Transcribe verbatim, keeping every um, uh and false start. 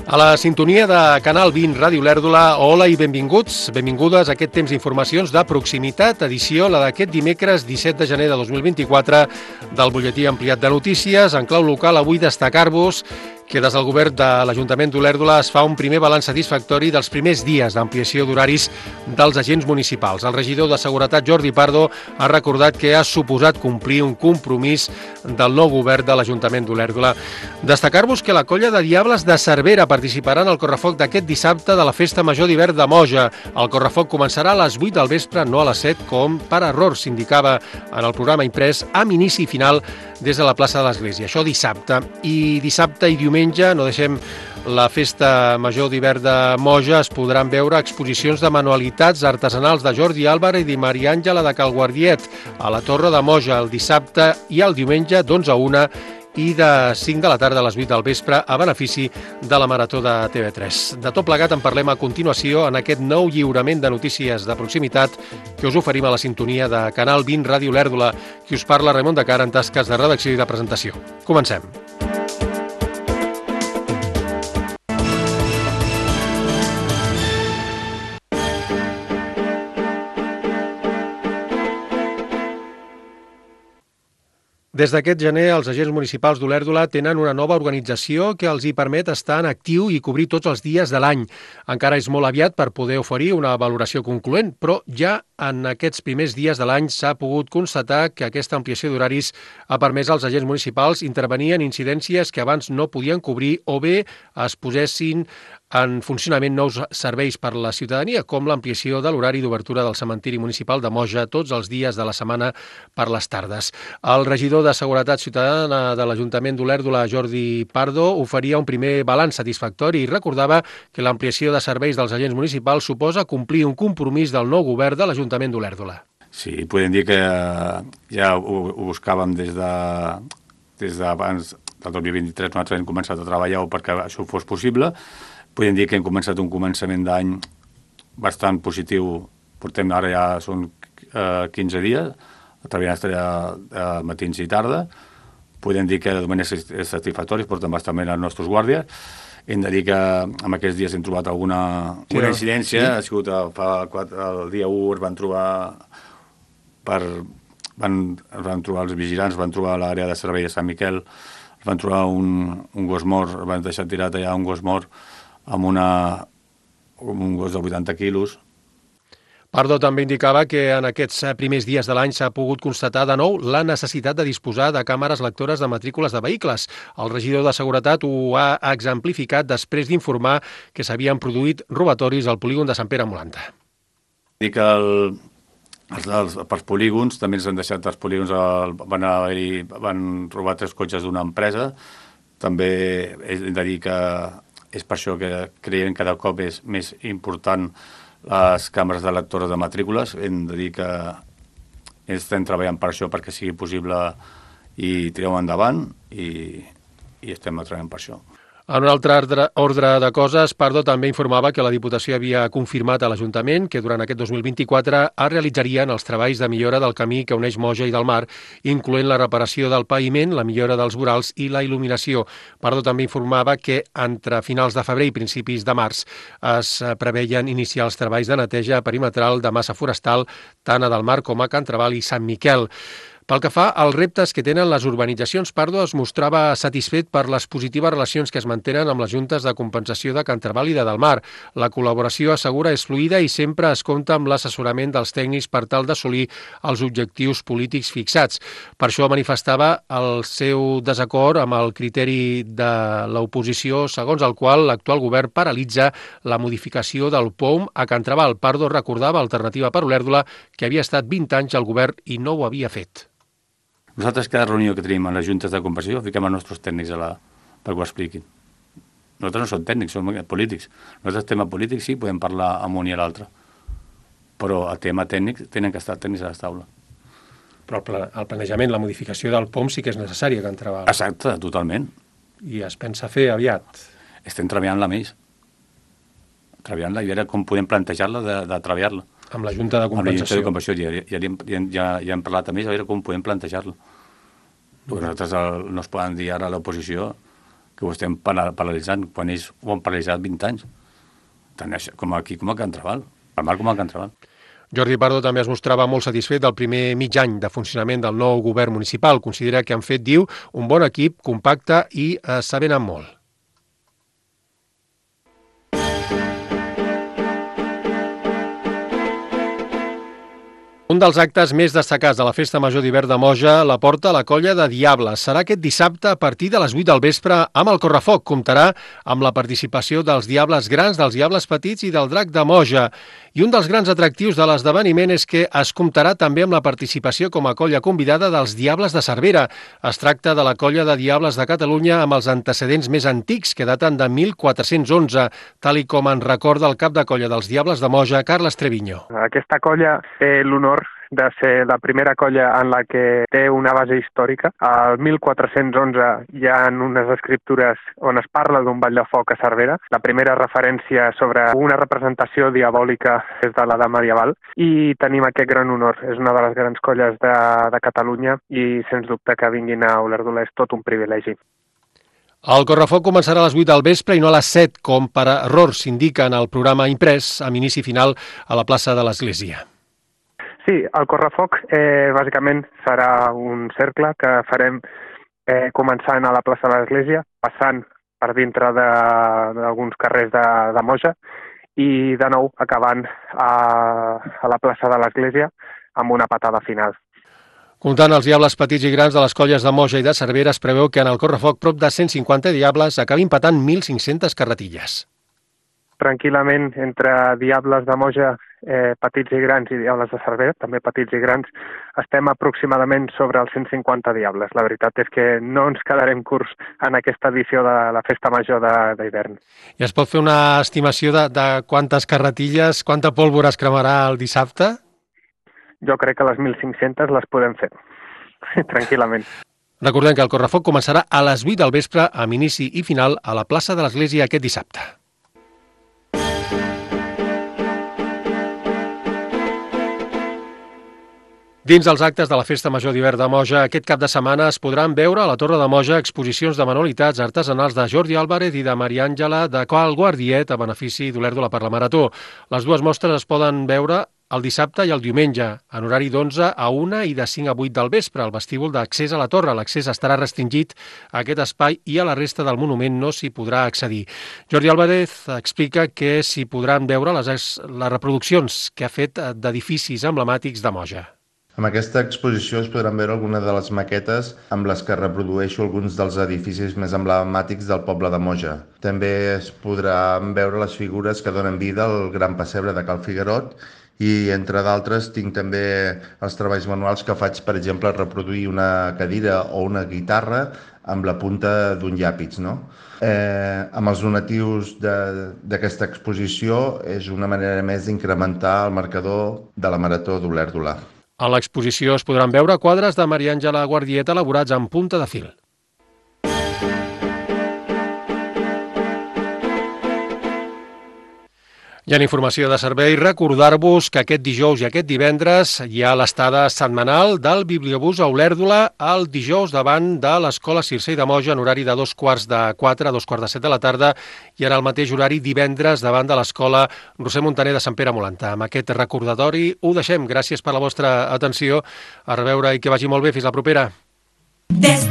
A la sintonia de Canal vint Ràdio Lèrdula, hola i benvinguts, benvingudes a aquest temps d'informacions de proximitat, edició la d'aquest dimecres disset de gener de dos mil vint-i-quatre del butlletí ampliat de notícies. En clau local, avui destacar-vos que des del govern de l'Ajuntament d'Olèrdola es fa un primer balanç satisfactori dels primers dies d'ampliació d'horaris dels agents municipals. El regidor de Seguretat, Jordi Pardo, ha recordat que ha suposat complir un compromís del nou govern de l'Ajuntament d'Olèrdola. Destacar-vos que la colla de Diables de Cervera participarà en el correfoc d'aquest dissabte de la Festa Major d'Hivern de Moja. El correfoc començarà a les vuit del vespre, no a les set, com per error s'indicava en el programa imprès, amb inici i final des de la plaça de l'Església. Això dissabte. I dissabte i diumenge, no deixem la Festa Major d'Hivern de Moja, es podran veure exposicions de manualitats artesanals de Jordi Álvarez i Maria Àngela de Calguardiet a la Torre de Moja el dissabte i el diumenge d'onze a una i de cinc de la tarda a les vuit del vespre a benefici de la Marató de T V tres. De tot plegat en parlem a continuació en aquest nou lliurament de notícies de proximitat que us oferim a la sintonia de Canal vint Ràdio Lèrdula. Qui us parla, Ramon de Cara, en tasques de redacció i de presentació. Comencem. Des d'aquest gener, els agents municipals d'Olèrdola tenen una nova organització que els hi permet estar en actiu i cobrir tots els dies de l'any. Encara és molt aviat per poder oferir una valoració concloent, però ja en aquests primers dies de l'any s'ha pogut constatar que aquesta ampliació d'horaris ha permès als agents municipals intervenir en incidències que abans no podien cobrir o bé es posessin en funcionament nous serveis per a la ciutadania, com l'ampliació de l'horari d'obertura del cementiri municipal de Moja tots els dies de la setmana per les tardes. El regidor de Seguretat Ciutadana de l'Ajuntament d'Olèrdola, Jordi Pardo, oferia un primer balanç satisfactori i recordava que l'ampliació de serveis dels agents municipals suposa complir un compromís del nou govern de l'Ajuntament d'Olèrdola. Sí, podem dir que ja ho, ho buscàvem des de des d'abans del dos mil vint-i-tres, nosaltres hem començat a treballar perquè això fos possible. Podem dir que hem començat un començament d'any bastant positiu. Portem ara ja són eh, quinze dies, treballant eh, matins i tarda. Podem dir que de moment és, és satisfactori, portem bastant bé els nostres guàrdies. Hem de dir que en aquests dies hem trobat alguna sí, una incidència. Sí. Ha sigut fa quatre, el dia u es van trobar per, van, es van trobar els vigilants, van trobar l'àrea de servei de Sant Miquel, es van trobar un, un gos mort, es van deixar tirat allà un gos mort amb, una, amb un gos de vuitanta quilos. Pardo també indicava que en aquests primers dies de l'any s'ha pogut constatar de nou la necessitat de disposar de càmeres lectores de matrícules de vehicles. El regidor de Seguretat ho ha exemplificat després d'informar que s'havien produït robatoris al polígon de Sant Pere Molanta. Dic que el, els, els, pels polígons, també ens han deixat els polígons, el, van, haver-hi, van robar tres cotxes d'una empresa. També hem de dir que és per això que creiem que cada cop és més important les càmeres de lectores de matrícules. Hem de dir que estem treballant per això perquè sigui possible i tirem endavant i, i estem treballant per això. En un altre ordre de coses, Pardo també informava que la Diputació havia confirmat a l'Ajuntament que durant aquest dos mil vint-i-quatre es realitzarien els treballs de millora del camí que uneix Moja i del Mar, incloent la reparació del paviment, la millora dels vorals i la il·luminació. Pardo també informava que entre finals de febrer i principis de març es preveien iniciar els treballs de neteja perimetral de massa forestal tant a del Mar com a Can Trabal i Sant Miquel. Pel que fa als reptes que tenen les urbanitzacions, Pardo es mostrava satisfet per les positives relacions que es mantenen amb les juntes de compensació de Can Trabal i de Del Mar. La col·laboració, assegura, és fluida i sempre es compta amb l'assessorament dels tècnics per tal d'assolir els objectius polítics fixats. Per això manifestava el seu desacord amb el criteri de l'oposició, segons el qual l'actual govern paralitza la modificació del P O M a Can Trabal. Pardo recordava Alternativa per Olèrdola que havia estat vint anys al govern i no ho havia fet. Nosaltres, cada reunió que tenim a les juntes de compensació, fiquem els nostres tècnics a la, perquè ho expliquin. Nosaltres no som tècnics, som polítics. Nosaltres, tema polític, sí, podem parlar amb un i l'altre. Però el tema tècnic tenen que estar tècnics a la taula. Però el planejament, la modificació del P O M sí que és necessària, Can Trabal. Exacte, totalment. I es pensa fer aviat. Estem treballant-la més. Treballant-la i veure com podem plantejar-la de, de treballar-la. Amb la Junta de Compensació. Amb la Junta de Compensació, ja, ja, ja, ja, ja hem parlat a més a veure com podem plantejar-la. Perquè nosaltres el, no es poden dir ara a l'oposició que ho estem paralitzant, quan ells ho han paralitzat vint anys. Tant com aquí com a Can Trabal, al mar com a Can Trabal. Jordi Pardo també es mostrava molt satisfet del primer mig any de funcionament del nou govern municipal. Considera que han fet, diu, un bon equip, compacte i eh, sabent amb molt. Un dels actes més destacats de la Festa Major d'Hivern de Moja la porta la colla de Diables. Serà aquest dissabte a partir de les vuit del vespre amb el Correfoc. Comptarà amb la participació dels Diables grans, dels Diables petits i del Drac de Moja. I un dels grans atractius de l'esdeveniment és que es comptarà també amb la participació com a colla convidada dels Diables de Cervera. Es tracta de la colla de Diables de Catalunya amb els antecedents més antics, que daten de mil quatre-cents onze, tal i com en recorda el cap de colla dels Diables de Moja, Carles Treviño. Aquesta colla té l'honor de ser la primera colla en la que té una base històrica. Al mil quatre-cents onze hi ha unes escriptures on es parla d'un ball de foc a Cervera. La primera referència sobre una representació diabòlica és de l'edat medieval i tenim aquest gran honor. És una de les grans colles de, de Catalunya i sens dubte que vinguin a Olèrdola és tot un privilegi. El Correfoc començarà a les vuit del vespre i no a les set, com per error s'indica en el programa imprès, amb inici final a la plaça de l'Església. Sí, el Correfoc eh, bàsicament serà un cercle que farem eh, començant a la plaça de l'Església, passant per dintre d'alguns carrers de, de Moja i de nou acabant a, a la plaça de l'Església amb una patada final. Comptant els diables petits i grans de les colles de Moja i de Cervera, es preveu que en el Correfoc prop de cent cinquanta diables acabin patant mil cinc-centes carretilles. Tranquil·lament, entre diables de Moja, eh, petits i grans, i diables de Cervera, també petits i grans, estem aproximadament sobre els cent cinquanta diables. La veritat és que no ens quedarem curts en aquesta edició de la Festa Major d'hivern. I es pot fer una estimació de, de quantes carretilles, quanta pólvora es cremarà el dissabte? Jo crec que les mil cinc-centes les podem fer, tranquil·lament. Recordem que el Correfoc començarà a les vuit del vespre amb inici i final a la plaça de l'Església aquest dissabte. Dins dels actes de la Festa Major d'Hivern de Moja, aquest cap de setmana es podran veure a la Torre de Moja exposicions de manualitats artesanals de Jordi Álvarez i de Maria Àngela de Cal Guardiet a benefici d'Olèrdola per la Marató. Les dues mostres es poden veure el dissabte i el diumenge, en horari d'onze a una i de cinc a vuit del vespre, al vestíbul d'accés a la torre. L'accés estarà restringit a aquest espai i a la resta del monument no s'hi podrà accedir. Jordi Álvarez explica que s'hi podran veure les, les reproduccions que ha fet d'edificis emblemàtics de Moja. Amb aquesta exposició es podran veure algunes de les maquetes amb les que reprodueixo alguns dels edificis més emblemàtics del poble de Moja. També es podran veure les figures que donen vida al Gran Pessebre de Cal Figuerot i, entre d'altres, tinc també els treballs manuals que faig, per exemple, reproduir una cadira o una guitarra amb la punta d'un llàpis, no? Eh, amb els donatius d'aquesta exposició és una manera més d'incrementar el marcador de la Marató d'Olèrdola. A l'exposició es podran veure quadres de Maria Àngela Guardiet elaborats en punta de fil. I en informació de servei, recordar-vos que aquest dijous i aquest divendres hi ha l'estada setmanal del Bibliobús a Olèrdola el dijous davant de l'Escola Circei de Moja en horari de dos quarts de quatre a dos quarts de set de la tarda i en el mateix horari divendres davant de l'Escola Roser Montaner de Sant Pere Molanta. Amb aquest recordatori ho deixem. Gràcies per la vostra atenció. A reveure i que vagi molt bé. Fins la propera. Des